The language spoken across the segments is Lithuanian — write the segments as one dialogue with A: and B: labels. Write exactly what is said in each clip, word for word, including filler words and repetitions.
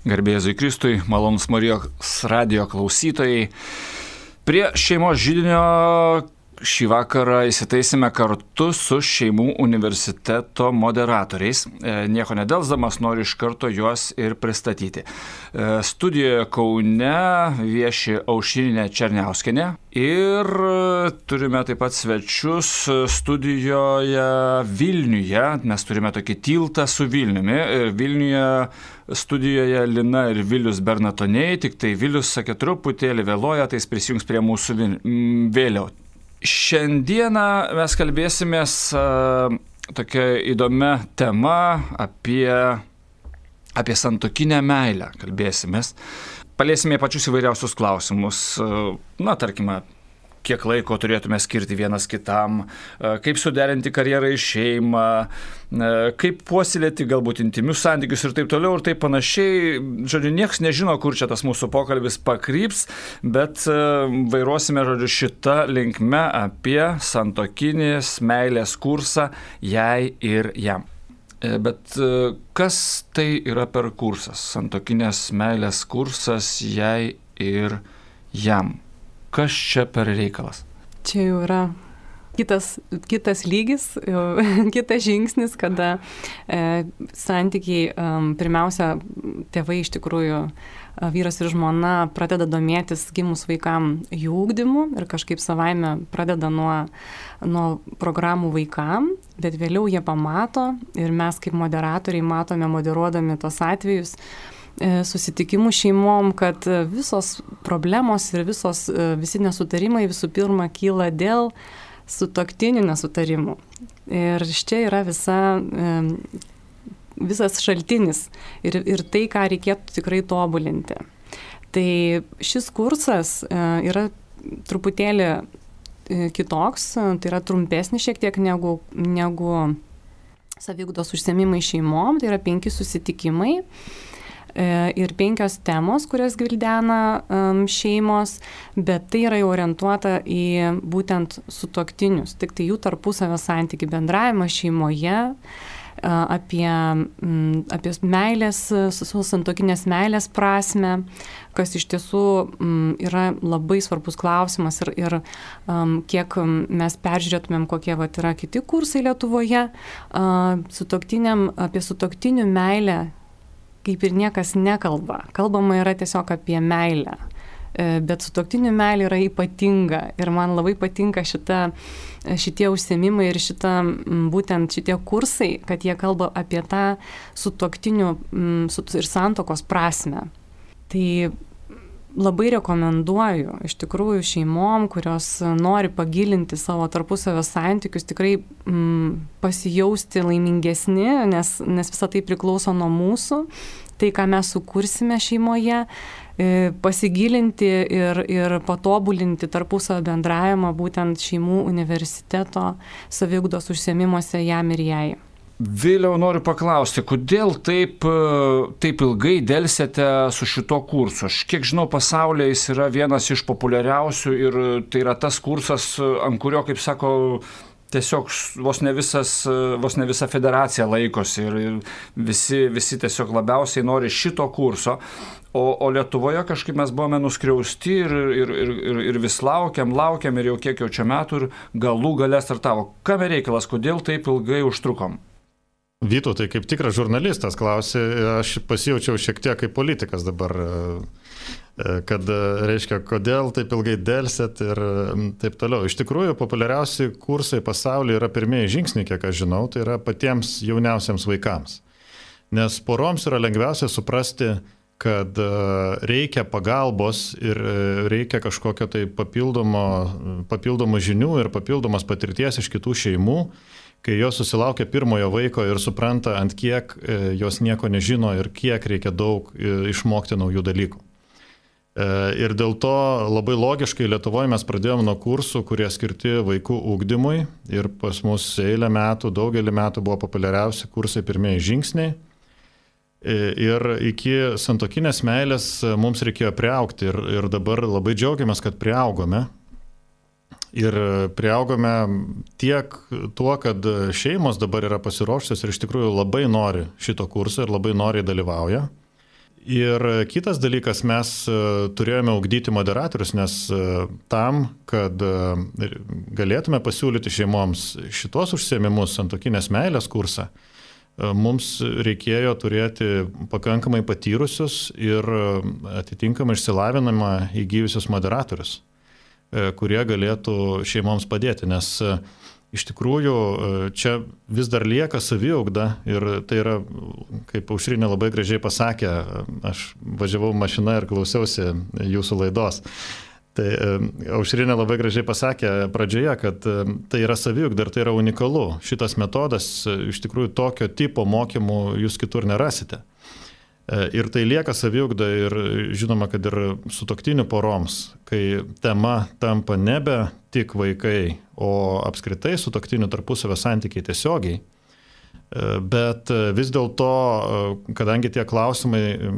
A: Garbė Jėzui Kristui, malonūs Marijos radijo klausytojai. Prie šeimos židinio šį vakarą įsitaisime kartu su Šeimų universiteto moderatoriais. Nieko nedelsdamas noriu iš karto juos ir pristatyti. Studijoje Kaune vieši Aušrinė Černiauskienė ir turime taip pat svečius studijoje Vilniuje. Mes turime tokį tiltą su Vilniumi. Vilniuje studijoje Lina ir Vilius Bernatoniai, tik tai Vilius sakė truputėlį vėluoja, tai jis prisijungs prie mūsų vėliau. Šiandieną mes kalbėsimės uh, tokia įdomia tema apie, apie santuokinę meilę. Kalbėsimės. Paliesime pačius įvairiausius klausimus. Uh, na, tarkime, kiek laiko turėtume skirti vienas kitam, uh, kaip suderinti karjerą ir šeimą, uh, kaip puoselėti galbūt intimius santykius ir taip toliau ir taip panašiai. Žodžiu, nieks nežino, kur čia tas mūsų pokalbis pakryps, bet uh, vairuosime, žodžiu, šitą linkme apie santuokinės meilės kursą jai ir jam. Uh, bet uh, kas tai yra per kursas? Santuokinės meilės kursas jai ir jam. Kas čia per reikalas?
B: Čia jau yra kitas, kitas lygis, kitas žingsnis, kada e, santykiai, e, pirmiausia, tėvai iš tikrųjų, e, vyras ir žmona pradeda domėtis gimus vaikam jų ugdymu ir kažkaip savaime pradeda nuo, nuo programų vaikam, bet vėliau jie pamato ir mes kaip moderatoriai matome, moderuodami tos atvejus, susitikimų šeimom, kad visos problemos ir visos, visi nesutarimai visų pirma kyla dėl sutuoktinių nesutarimų. Ir čia yra visa, visas šaltinis ir, ir tai, ką reikėtų tikrai tobulinti. Tai šis kursas yra truputėlį kitoks, tai yra trumpesnis šiek tiek negu, negu saviugdos užsiėmimai šeimom, tai yra penki susitikimai. Ir penkios temos, kurias gvildena um, šeimos, bet tai yra jau orientuota į būtent sutuoktinius, tik tai jų tarpusavio santykių bendravimą šeimoje, apie, apie meilės, santuokinės meilės prasmę, kas iš tiesų yra labai svarbus klausimas ir, ir um, kiek mes peržiūrėtumėm, kokie vat, yra kiti kursai Lietuvoje, uh, sutuoktiniam, apie sutuoktinių meilę kaip ir niekas nekalba. Kalbama yra tiesiog apie meilę. Bet sutuoktinių meilė yra ypatinga. Ir man labai patinka šita, šitie užsiėmimai ir šita, būtent šitie kursai, kad jie kalba apie tą sutuoktinių ir santuokos prasmę. Tai labai rekomenduoju iš tikrųjų šeimom, kurios nori pagilinti savo tarpusavio santykius, tikrai mm, pasijausti laimingesni, nes, nes visa tai priklauso nuo mūsų, tai ką mes sukursime šeimoje, e, pasigilinti ir, ir patobulinti tarpusavio bendravimą būtent Šeimų universiteto saviugdos užsiėmimuose jam ir jai.
A: Vėliau noriu paklausti, kodėl taip, taip ilgai delsėte su šito kursu? Aš kiek žinau, pasaulyje jis yra vienas iš populiariausių ir tai yra tas kursas, ant kurio, kaip sako, tiesiog vos ne, visas, vos ne visa federacija laikosi ir, ir visi, visi tiesiog labiausiai nori šito kurso. O, o Lietuvoje kažkaip mes buvome nuskriausti ir, ir, ir, ir vis laukiam, laukiam ir jau kiek jau čia metų ir galų gale startavo. Kame reikalas, kodėl taip ilgai užtrukom?
C: Vytautai, kaip tikras žurnalistas klausė, aš pasijaučiau šiek tiek kaip politikas dabar, kad reiškia, kodėl taip ilgai delsėt ir taip toliau. Iš tikrųjų, populiariausi kursai pasaulyje yra pirmieji žingsniai, kiek aš žinau, tai yra patiems jauniausiams vaikams. Nes poroms yra lengviausia suprasti, kad reikia pagalbos ir reikia kažkokio tai papildomo, papildomo žinių ir papildomos patirties iš kitų šeimų, kai jos susilaukia pirmojo vaiko ir supranta, ant kiek jos nieko nežino ir kiek reikia daug išmokti naujų dalykų. Ir dėl to labai logiškai Lietuvoje mes pradėjome nuo kursų, kurie skirti vaikų ugdymui ir pas mus eilę metų, daugelį metų buvo populiariausi kursai pirmieji žingsniai. Ir iki santuokinės meilės mums reikėjo priaugti ir, ir dabar labai džiaugiamės, kad priaugome. Ir priaugome tiek tuo, kad šeimos dabar yra pasiruošusios ir iš tikrųjų labai nori šito kurso ir labai noriai dalyvauja. Ir kitas dalykas, mes turėjome ugdyti moderatorius, nes tam, kad galėtume pasiūlyti šeimoms šitos užsiėmimus, santuokinės meilės kursą, mums reikėjo turėti pakankamai patyrusius ir atitinkamai išsilavinimą įgyjusius moderatorius, kurie galėtų šeimoms padėti, nes iš tikrųjų čia vis dar lieka saviugda ir tai yra, kaip Aušrinė labai gražiai pasakė, aš važiavau mašina ir klausiausi jūsų laidos. Tai Aušrinė labai gražiai pasakė pradžioje, kad tai yra saviugda ir tai yra unikalu. Šitas metodas, iš tikrųjų, tokio tipo mokymų jūs kitur nerasite. Ir tai lieka saviugda ir žinoma, kad ir sutuoktinių poroms, kai tema tampa nebe tik vaikai, o apskritai sutuoktinių tarpusavio santykiai tiesiogiai. Bet vis dėlto, kadangi tie klausimai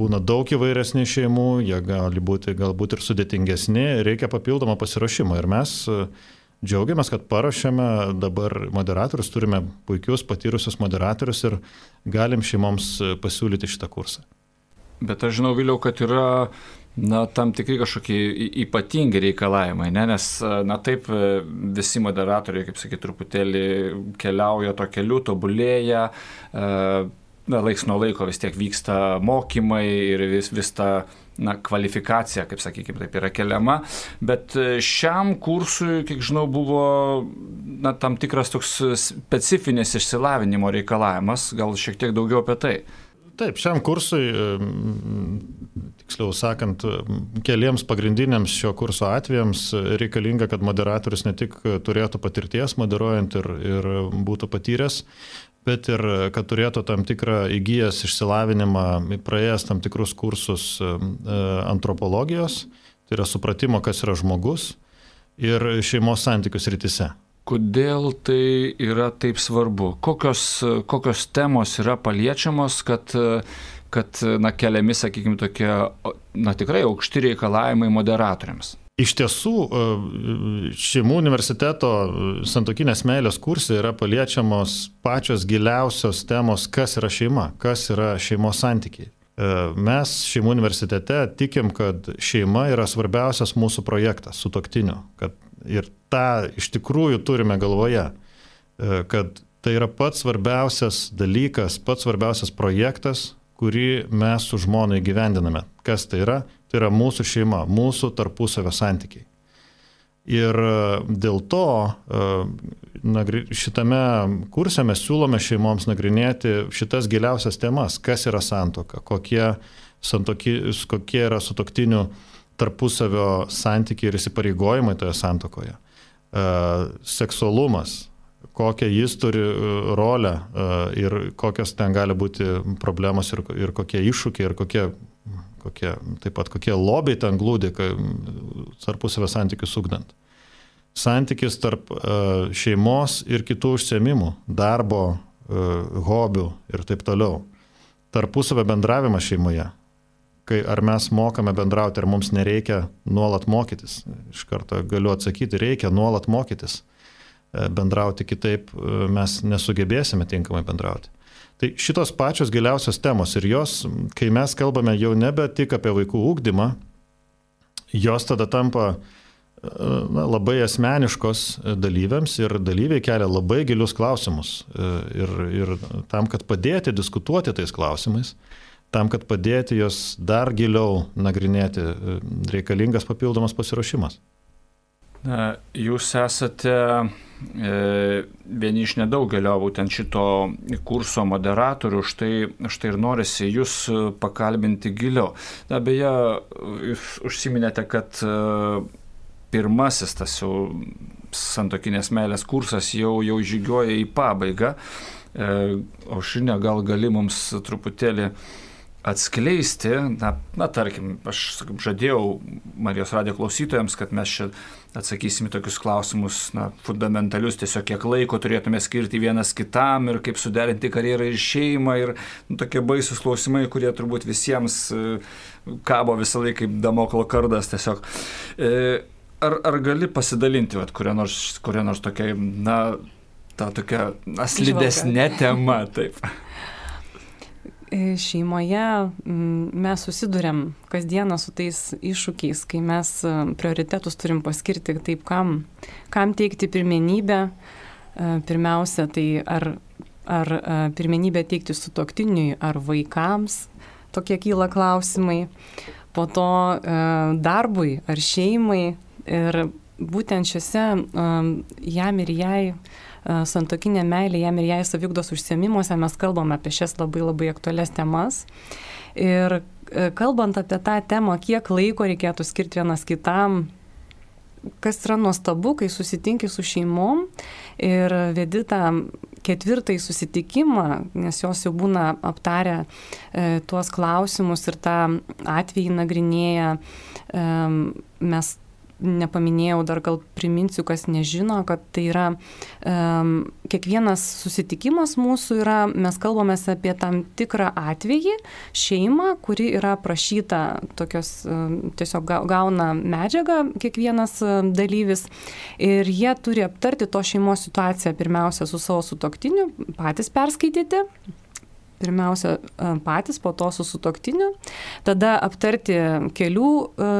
C: būna daug įvairesni šeimų, jie gali būti galbūt ir sudėtingesni, reikia papildomą pasiruošimą. Ir mes džiaugiamės, kad paruošėme dabar moderatorius, turime puikius patyrusius moderatorius ir galim šeimoms pasiūlyti šitą kursą.
A: Bet aš žinau, Viliau, kad yra na, tam tikri kažkokie ypatingi reikalavimai, ne? Nes na, taip visi moderatoriai, kaip sakyti, truputėlį keliauja to keliu, tobulėja, na, laiks nuo laiko vis tiek vyksta mokymai ir vis, vis ta na, kvalifikacija, kaip sakykime, taip yra keliama, bet šiam kursui, kiek žinau, buvo na, tam tikras toks specifinis išsilavinimo reikalavimas, gal šiek tiek daugiau apie tai.
C: Taip, šiam kursui, tiksliau sakant, keliems pagrindiniams šio kurso atvejams reikalinga, kad moderatorius ne tik turėtų patirties moderuojant ir, ir būtų patyręs, bet ir kad turėtų tam tikrą įgyjęs išsilavinimą, praėjęs tam tikrus kursus antropologijos, tai yra supratimo, kas yra žmogus, ir šeimos santykių srityse.
A: Kodėl tai yra taip svarbu? Kokios, kokios temos yra paliečiamos, kad, kad na, keliami, sakykime, tokie na, tikrai aukšti reikalavimai moderatoriams?
C: Iš tiesų, šeimų universiteto santuokinės meilės kurse yra paliečiamos pačios giliausios temos, kas yra šeima, kas yra šeimos santykiai. Mes šeimų universitete tikim, kad šeima yra svarbiausias mūsų projektas sutuoktinių, kad ir tą iš tikrųjų turime galvoje, kad tai yra pats svarbiausias dalykas, pats svarbiausias projektas, kurį mes su žmona įgyvendiname. Kas tai yra? Tai yra mūsų šeima, mūsų tarpusavio santykiai. Ir dėl to šitame kurse mes siūlome šeimoms nagrinėti šitas giliausias temas, kas yra santuoka, kokie, santoki, kokie yra sutuoktinių tarpusavio santykiai ir įsipareigojimai toje santuokoje. Seksualumas, kokią jis turi rolę ir kokios ten gali būti problemos ir, ir kokie iššūkiai ir kokie, kokie, taip pat kokie lobiai ten glūdi tarpusavio santykius ugdant. Santykis tarp šeimos ir kitų užsiėmimų, darbo, hobių ir taip toliau. Tarpusavio bendravimas šeimoje. Kai ar mes mokame bendrauti, ar mums nereikia nuolat mokytis. Iš karto galiu atsakyti, reikia nuolat mokytis. Bendrauti kitaip mes nesugebėsime tinkamai bendrauti. Tai šitos pačios giliausios temos ir jos, kai mes kalbame jau nebe tik apie vaikų ugdymą, jos tada tampa na, labai asmeniškos dalyviams ir dalyviai kelia labai gilius klausimus. Ir, ir tam, kad padėti diskutuoti tais klausimais, tam, kad padėti jos dar giliau nagrinėti, reikalingas papildomas pasiruošimas.
A: Na, jūs esate e, vieni iš nedaugelio būtent šito kurso moderatorių, štai, štai ir norisi jūs pakalbinti giliau. Na, beje, jūs užsiminėte, kad e, pirmasis tas jau santuokinės meilės kursas jau, jau žygiuoja į pabaigą. E, Aušrinė, gal gali mums truputėlį atskleisti, na, na tarkim, aš sakykim, žadėjau Marijos radijo klausytojams, kad mes čia atsakysime tokius klausimus, na, fundamentalius, tiesiog kiek laiko turėtume skirti vienas kitam ir kaip suderinti karjerą ir šeimą ir nu, tokie baisus klausimai, kurie turbūt visiems kabo visą laiką kaip Damoklo kardas tiesiog. Ar, ar gali pasidalinti vat, kuria nors, kuria nors tokia, na, ta tokia slidesnė tema, taip?
B: Šeimoje mes susidurėm kasdieną su tais iššūkiais, kai mes prioritetus turim paskirti taip, kam, kam teikti pirmenybę. Pirmiausia, tai ar, ar pirmenybę teikti sutuoktiniui ar vaikams, tokie kyla klausimai. Po to darbui ar šeimai. Ir būtent šiuose jam ir jai santuokinė meilė, jam ir jai saviugdos užsiėmimuose mes kalbame apie šias labai labai aktualias temas. Ir kalbant apie tą temą, kiek laiko reikėtų skirti vienas kitam, kas yra nuostabu, kai susitinki su šeimom ir vedi tą ketvirtąjį susitikimą, nes jos jau būna aptarę e, tuos klausimus ir tą atvejį nagrinėja, e, mes nepaminėjau, dar gal priminsiu, kas nežino, kad tai yra um, kiekvienas susitikimas mūsų yra, mes kalbamės apie tam tikrą atvejį, šeimą, kuri yra prašyta tokios, um, tiesiog gauna medžiagą kiekvienas um, dalyvis ir jie turi aptarti to šeimos situaciją pirmiausia su savo sutuoktiniu, patys perskaityti. Pirmiausia patys, po to su sutuoktiniu, tada aptarti kelių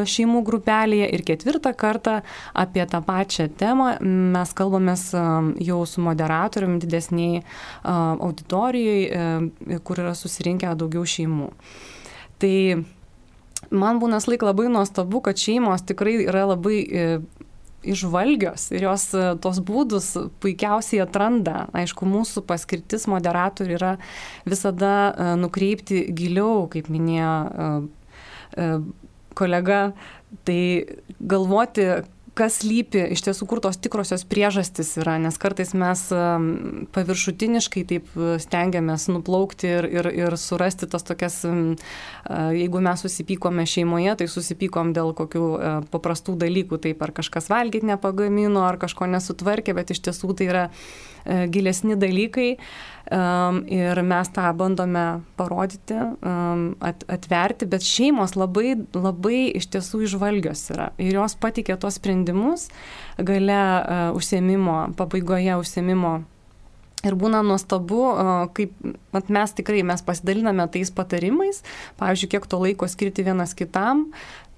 B: šeimų grupelėje ir ketvirtą kartą apie tą pačią temą mes kalbamės jau su moderatoriumi didesniai auditorijoje, kur yra susirinkę daugiau šeimų. Tai man būna laik labai nuostabu, kad šeimos tikrai yra labai išvalgios ir jos tos būdus puikiausiai atranda. Aišku, mūsų paskirtis moderatorių yra visada nukreipti giliau, kaip minėjo kolega, tai galvoti, kas lypi, iš tiesų, kur tos tikrosios priežastys yra, nes kartais mes paviršutiniškai taip stengiamės nuplaukti ir, ir, ir surasti tas tokias, jeigu mes susipykome šeimoje, tai susipykom dėl kokių paprastų dalykų, taip ar kažkas valgyti nepagamino, ar kažko nesutvarkė, bet iš tiesų tai yra gilesni dalykai ir mes tą bandome parodyti, atverti, bet šeimos labai, labai iš tiesų išvalgios yra ir jos patikė tos sprendimus gale užsiėmimo, pabaigoje užsiėmimo. Ir būna nuostabu, kaip mat, mes tikrai mes pasidaliname tais patarimais, pavyzdžiui, kiek to laiko skirti vienas kitam,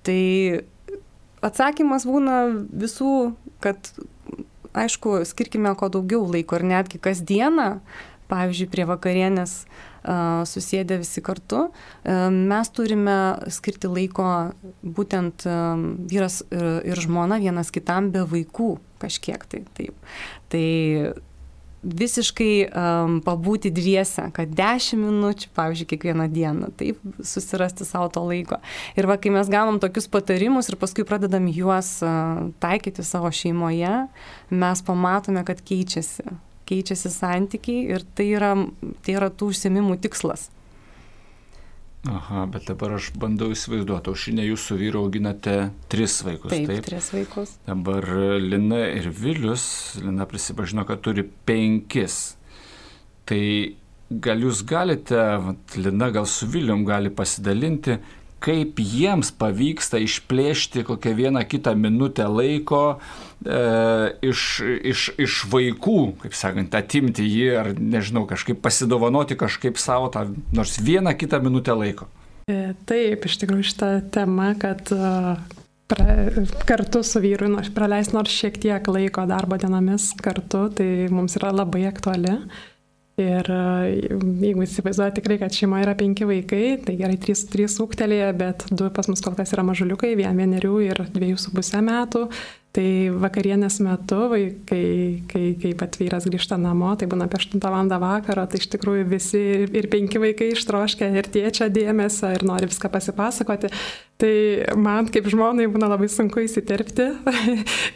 B: tai atsakymas būna visų, kad aišku, skirkime ko daugiau laiko ir netgi kasdieną, pavyzdžiui, prie vakarienės uh, susėdę visi kartu, uh, mes turime skirti laiko būtent uh, vyras ir, ir žmona vienas kitam be vaikų kažkiek tai. Taip. Tai visiškai um, pabūti dviese, kad dešimt minučių, pavyzdžiui, kiekvieną dieną, taip, susirasti savo to laiko. Ir va, kai mes gaunam tokius patarimus ir paskui pradedam juos uh, taikyti savo šeimoje, mes pamatome, kad keičiasi, keičiasi santykiai ir tai yra, tai yra tų užsiėmimų tikslas.
A: Aha, bet dabar aš bandau įsivaizduoti, Aušrinė, jūs su vyru auginate tris vaikus, taip?
B: Taip, tris vaikus.
A: Dabar Lina ir Vilius, Lina prisipažino, kad turi penkis. Tai gal jūs galite, Lina gal su Vilium gali pasidalinti, kaip jiems pavyksta išplėšti kokią vieną kitą minutę laiko e, iš, iš, iš vaikų, kaip sakant, atimti jį ar, nežinau, kažkaip pasidovanoti kažkaip savo tą nors vieną kitą minutę laiko.
D: Taip, iš tikrųjų šitą temą, kad pra, kartu su vyru nors praleis nors šiek tiek laiko darbo dienomis kartu, tai mums yra labai aktuali. Ir jeigu įsivaizduoja tikrai, kad šeimoje yra penki vaikai, tai gerai, trys, trys ūgtelėje, bet du pas mus kol kas yra mažuliukai, vien vienerių ir dviejų su pusę metų. Tai vakarienės metu, kai, kai, kai pat vyras grįžta namo, tai būna apie aštuntą valandą vakaro, tai iš tikrųjų visi ir penki vaikai ištroškia ir tėčio dėmesio ir nori viską pasipasakoti. Tai man kaip žmonai būna labai sunku įsiterpti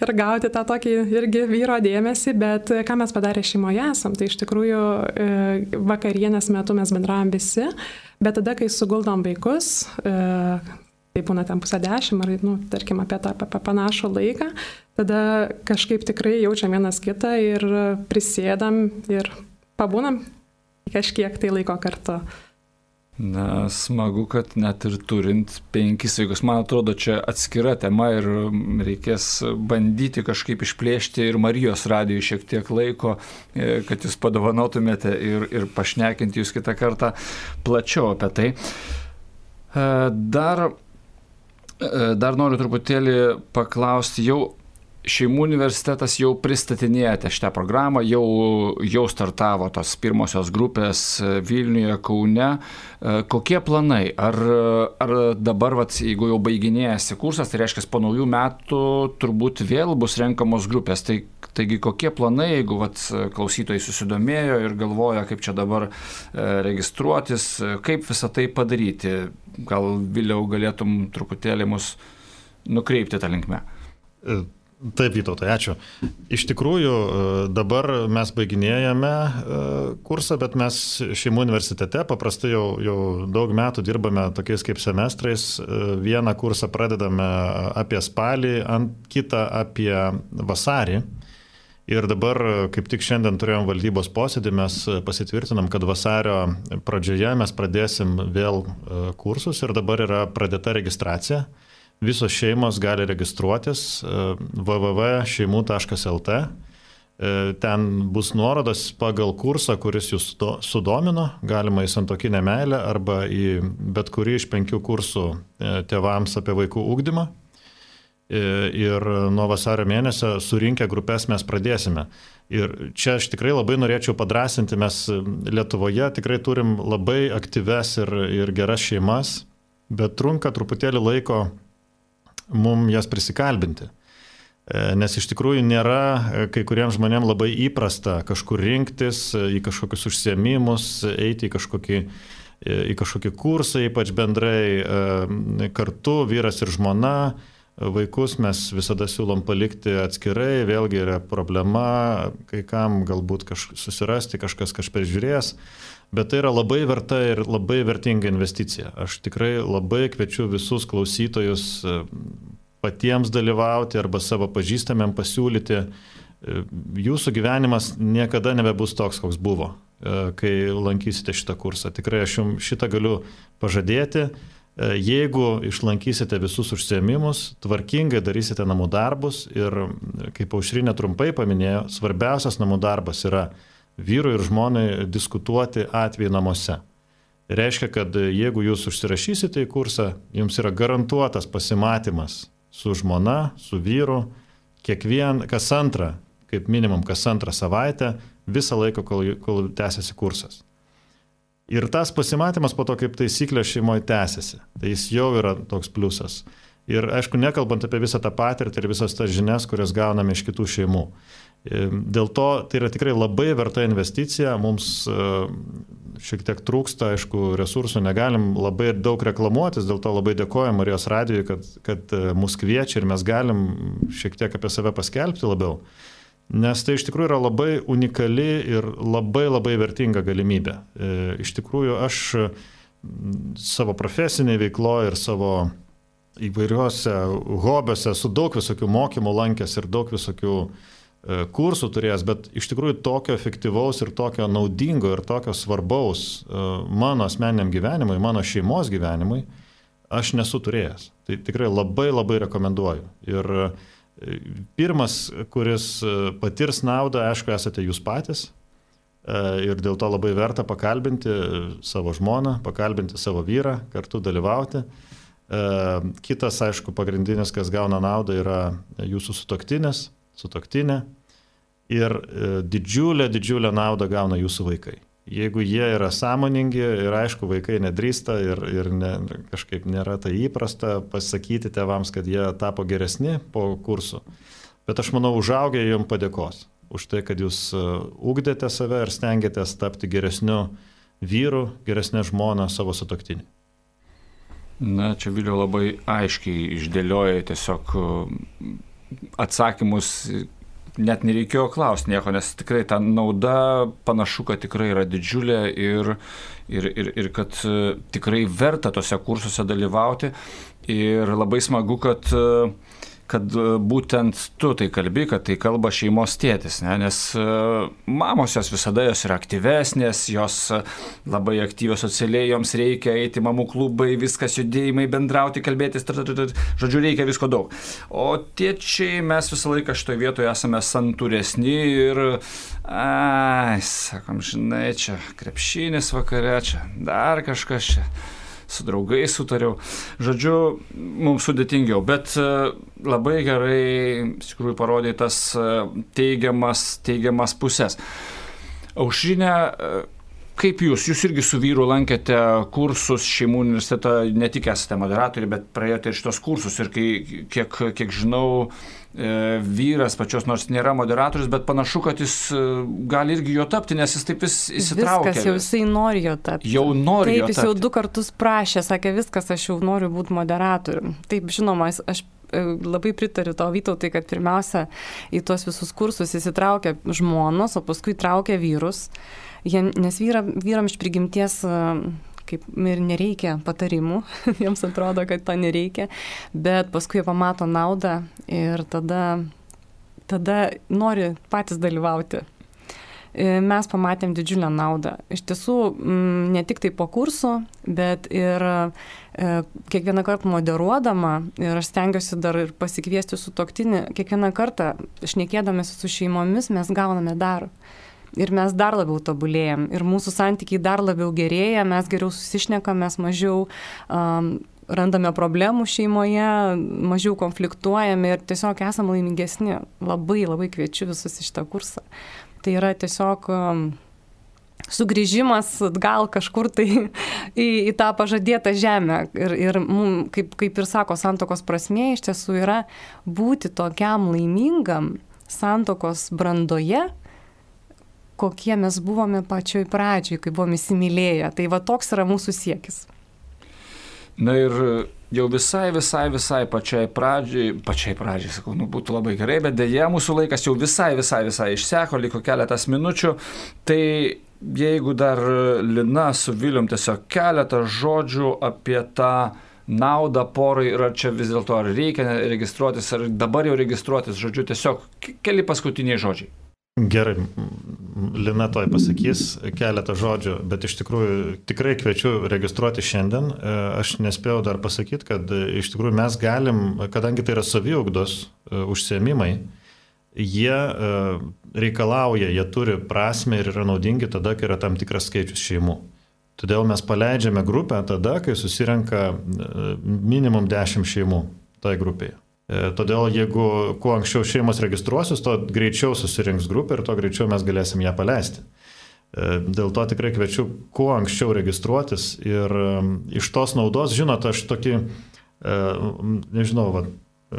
D: ir gauti tą tokį irgi vyro dėmesį, bet ką mes padarė šeimoje esam, tai iš tikrųjų vakarienės metu mes bendravom visi, bet tada, kai suguldom vaikus, tai būna ten pusę dešimt ar, nu, tarkim, apie tą apie panašų laiką, tada kažkaip tikrai jaučiam vienas kitą ir prisėdam ir pabūnam kažkiek tai laiko kartu.
A: Na, smagu, kad net ir turint penkis vaikus, man atrodo, čia atskira tema ir reikės bandyti kažkaip išplėšti ir Marijos radijui šiek tiek laiko, kad jūs padovanotumėte ir, ir pašnekinti jūs kitą kartą plačiau apie tai. Dar, dar noriu truputėlį paklausti, jau Šeimų universitetas jau pristatinėjate šitą programą, jau, jau startavo tos pirmosios grupės Vilniuje, Kaune. Kokie planai? Ar, ar dabar, vat, jeigu jau baiginėjasi kursas, tai reiškia, po naujų metų turbūt vėl bus renkamos grupės. Tai, taigi kokie planai, jeigu vat, klausytojai susidomėjo ir galvoja, kaip čia dabar registruotis, kaip visą tai padaryti? Gal vėliau galėtum truputėlį mus nukreipti tą linkmę?
C: Taip, Vytautai, ačiū. Iš tikrųjų, dabar mes baiginėjame kursą, bet mes Šeimų universitete paprastai jau, jau daug metų dirbame tokiais kaip semestrais. Vieną kursą pradedame apie spalį, ant kitą apie vasarį. Ir dabar, kaip tik šiandien turėjom valdybos posėdį, mes pasitvirtinam, kad vasario pradžioje mes pradėsim vėl kursus ir dabar yra pradėta registracija. Visos šeimos gali registruotis w w w taškas šeimų taškas l t. Ten bus nuorodas pagal kursą, kuris jūs sudomino, galima į santuokinę meilę arba į bet kurį iš penkių kursų tėvams apie vaikų ugdymą. Ir nuo vasario mėnesio surinkę grupės mes pradėsime. Ir čia aš tikrai labai norėčiau padrasinti, mes Lietuvoje tikrai turim labai aktyves ir, ir geras šeimas, bet trunka truputėlį laiko mums jas prisikalbinti. Nes iš tikrųjų nėra kai kuriems žmonėms labai įprasta kažkur rinktis, į kažkokius užsiėmimus, eiti į kažkokį, į kažkokį kursą, ypač bendrai kartu, vyras ir žmona. Vaikus mes visada siūlom palikti atskirai, vėlgi yra problema, kai kam galbūt kaž, susirasti, kažkas kažkas žiūrės. Bet tai yra labai verta ir labai vertinga investicija. Aš tikrai labai kviečiu visus klausytojus patiems dalyvauti arba savo pažįstamėm pasiūlyti. Jūsų gyvenimas niekada nebebus toks, koks buvo, kai lankysite šitą kursą. Tikrai aš jums šitą galiu pažadėti. Jeigu išlankysite visus užsiėmimus, tvarkingai darysite namų darbus ir, kaip Aušrinė trumpai paminėjo, svarbiausias namų darbas yra vyrui ir žmonai diskutuoti atvejį namuose. Reiškia, kad jeigu jūs užsirašysite į kursą, jums yra garantuotas pasimatymas su žmona, su vyru, kiekvien, kas antrą, kaip minimum kas antrą savaitę, visą laiką, kol, kol tęsiasi kursas. Ir tas pasimatymas po to kaip taisyklė šeimoje tęsiasi. Tai jis jau yra toks pliusas. Ir aišku, nekalbant apie visą tą patirtį ir visas tas žinias, kurias gauname iš kitų šeimų. Dėl to tai yra tikrai labai verta investicija, mums šiek tiek trūksta, aišku, resursų, negalim labai daug reklamuotis, dėl to labai dėkojam Marijos radijui, kad, kad mus kviečia ir mes galim šiek tiek apie save paskelbti labiau, nes tai iš tikrųjų yra labai unikali ir labai labai vertinga galimybė. Iš tikrųjų, aš savo profesinėje veikloje ir savo įvairiuose hobiuose su daug visokių mokymų lankęs ir daug visokių kursų turėjęs, bet iš tikrųjų tokio efektyvaus ir tokio naudingo ir tokio svarbaus mano asmeniniam gyvenimui, mano šeimos gyvenimui aš nesu turėjęs. Tai tikrai labai labai rekomenduoju. Ir pirmas, kuris patirs naudą, aišku, esate jūs patys ir dėl to labai verta pakalbinti savo žmoną, pakalbinti savo vyrą, kartu dalyvauti. Kitas, aišku, pagrindinis, kas gauna naudą, yra jūsų sutuoktinis, sutuoktinė ir didžiulę, didžiulę naudą gauna jūsų vaikai. Jeigu jie yra sąmoningi ir aišku, vaikai nedrįsta ir, ir ne, kažkaip nėra tai įprasta pasakyti tėvams, kad jie tapo geresni po kursų. Bet aš manau, užaugę jums padėkos už tai, kad jūs ugdėte save ir stengiatės tapti geresniu vyru, geresnė žmona savo sutuoktinį.
A: Na, čia Viliau labai aiškiai išdėlioja tiesiog atsakymus, net nereikėjo klausti nieko, nes tikrai ta nauda panašu, kad tikrai yra didžiulė ir, ir, ir, ir kad tikrai verta tose kursuose dalyvauti. Ir labai smagu, kad, kad būtent tu tai kalbi, kad tai kalba šeimos tėtis, ne? Nes mamos jos visada jos yra aktyvesnės, jos labai aktyvios socialiai, joms reikia eiti mamų klubai, viskas judėjimai, bendrauti, kalbėtis, žodžiu, reikia visko daug. O tėčiai mes visą laiką šitoje vietoje esame santūresni ir, ai, sakom, žinai, čia krepšinis vakare, čia dar kažkas čia. Su draugais sutariau. Žodžiu, mums sudėtingiau, bet labai gerai, iš tikrųjų, parodė tas teigiamas, teigiamas pusės. Aušrine, kaip jūs? Jūs irgi su vyru lankėte kursus šeimų universitetą, ne tik esate moderatoriai, bet praėjote ir šitos kursus. Ir kai, kiek, kiek žinau, vyras pačios nors nėra moderatorius, bet panašu, kad jis gali irgi jo tapti, nes jis taip vis įsitraukia.
B: Viskas, jau jisai nori jo tapti.
A: Jau nori
B: taip,
A: jo tapti.
B: Taip, jis jau du kartus prašė, sakė, viskas, aš jau noriu būti moderatorium. Taip, žinoma, aš labai pritariu tau, Vytautai, kad pirmiausia į tuos visus kursus įsitraukia žmonos, o paskui traukia vyrus, Jie, nes vyra, vyram iš prigimties kaip ir nereikia patarimų, jiems atrodo, kad to nereikia, bet paskui jie pamato naudą ir tada, tada nori patys dalyvauti. Mes pamatėm didžiulę naudą. Iš tiesų, ne tik tai po kursų, bet ir kiekvieną kartą moderuodama, ir aš stengiuosi dar ir pasikviesti sutuoktinį, kiekvieną kartą, šnekėdamės su šeimomis, mes gauname dar. Ir mes dar labiau tobulėjam, ir mūsų santykiai dar labiau gerėja, mes geriau susišnekam, mes mažiau um, randame problemų šeimoje, mažiau konfliktuojame ir tiesiog esame laimingesni. Labai, labai kviečiu visus į šitą kursą. Tai yra tiesiog um, sugrįžimas atgal kažkur tai į, į tą pažadėtą žemę. Ir, ir mum, kaip, kaip ir sako, santuokos prasmė iš tiesų yra būti tokiam laimingam santuokos brandoje, kokie mes buvome pačioj pradžioj, kai buvome įsimylėję. Tai va toks yra mūsų siekis.
A: Na ir jau visai, visai, visai pačiai pradžiai, pačiai pradžiai, sakau, nu būtų labai gerai, bet dėja mūsų laikas jau visai, visai, visai išseko, liko keletas minučių. Tai jeigu dar Lina su Vilium tiesiog keletą žodžių apie tą naudą porai ir ar čia vis dėlto ar reikia registruotis, ar dabar jau registruotis, žodžiu, tiesiog keli paskutiniai žodžiai.
C: Gerai, Lina toj pasakys keletą žodžių, bet iš tikrųjų tikrai kviečiu registruoti šiandien. Aš nespėjau dar pasakyti, kad iš tikrųjų mes galim, kadangi tai yra saviugdos užsiėmimai, jie reikalauja, jie turi prasmę ir yra naudingi tada, kai yra tam tikras skaičius šeimų. Todėl mes paleidžiame grupę tada, kai susirenka minimum dešimt šeimų toj grupėje. Todėl jeigu kuo anksčiau šeimos registruosis, to greičiau susirinks grupė ir to greičiau mes galėsim ją paleisti. Dėl to tikrai kviečiu kuo anksčiau registruotis ir iš tos naudos, žinot, aš tokį, nežinau, va,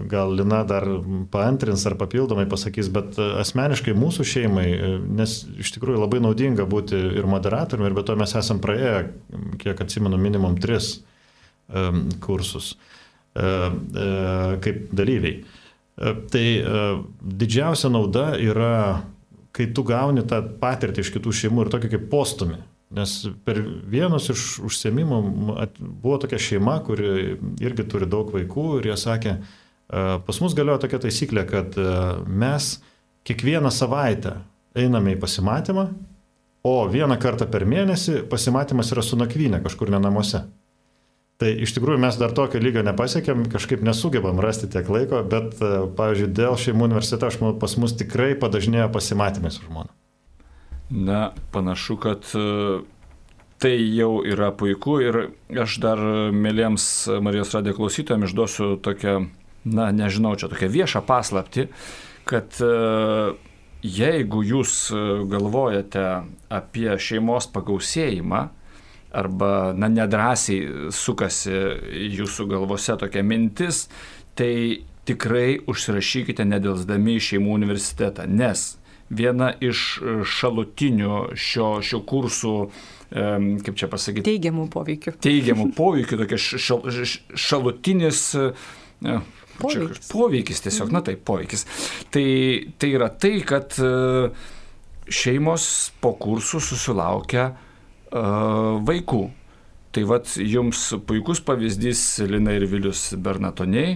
C: gal Lina dar paantrins ar papildomai pasakys, bet asmeniškai mūsų šeimai, nes iš tikrųjų labai naudinga būti ir moderatoriumi, ir be to mes esam praėję, kiek atsimenu, minimum tris kursus kaip dalyviai. Tai didžiausia nauda yra, kai tu gauni tą patirtį iš kitų šeimų ir tokį kaip postumį. Nes per vienus iš užsiėmimų buvo tokia šeima, kuri irgi turi daug vaikų ir jie sakė, pas mus galioja tokia taisyklė, kad mes kiekvieną savaitę einame į pasimatymą, o vieną kartą per mėnesį pasimatymas yra su nakvynė kažkur ne namuose. Tai iš tikrųjų mes dar tokio lygio nepasiekėm, kažkaip nesugebam rasti tiek laiko, bet, pavyzdžiui, dėl šeimų universiteto aš manau, pas mus tikrai padažnėjo pasimatymai su žmona.
A: Na, panašu, kad tai jau yra puiku ir aš dar mėlyms Marijos radijo klausytojams išduosiu tokią, na, nežinau, čia tokią viešą paslaptį, kad jeigu jūs galvojate apie šeimos pagausėjimą, arba, na, nedrąsiai sukasi jūsų galvose tokia mintis, tai tikrai užsirašykite nedelsdami į šeimų universitetą, nes viena iš šalutinių šio, šio kursų, kaip čia pasakyti,
B: teigiamų poveikių.
A: Teigiamų poveikių, tokia šal, šalutinis poveikis. poveikis tiesiog, na taip, poveikis. Tai, tai yra tai, kad šeimos po kursų susilaukia vaikų. Tai vat jums puikus pavyzdys Lina ir Vilius Bernatoniai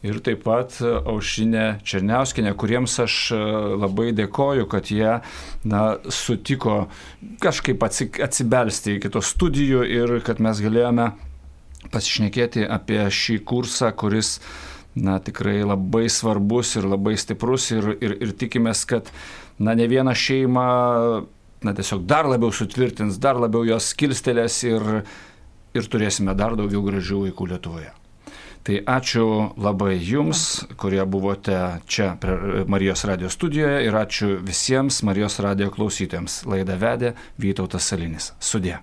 A: ir taip pat Aušrinė Černiauskinė, kuriems aš labai dėkoju, kad jie na, sutiko kažkaip atsibelsti į kitos studijų ir kad mes galėjome pasišnekėti apie šį kursą, kuris na, tikrai labai svarbus ir labai stiprus ir, ir, ir tikimės, kad na, ne vieną šeimą na, tiesiog dar labiau sutvirtins, dar labiau jos kilstelės ir ir turėsime dar daugiau gražių vaikų Lietuvoje. Tai ačiū labai jums, kurie buvote čia prie Marijos radijo studijoje ir ačiū visiems Marijos radijo klausytojams. Laidą vedė Vytautas Salinis. Sudie.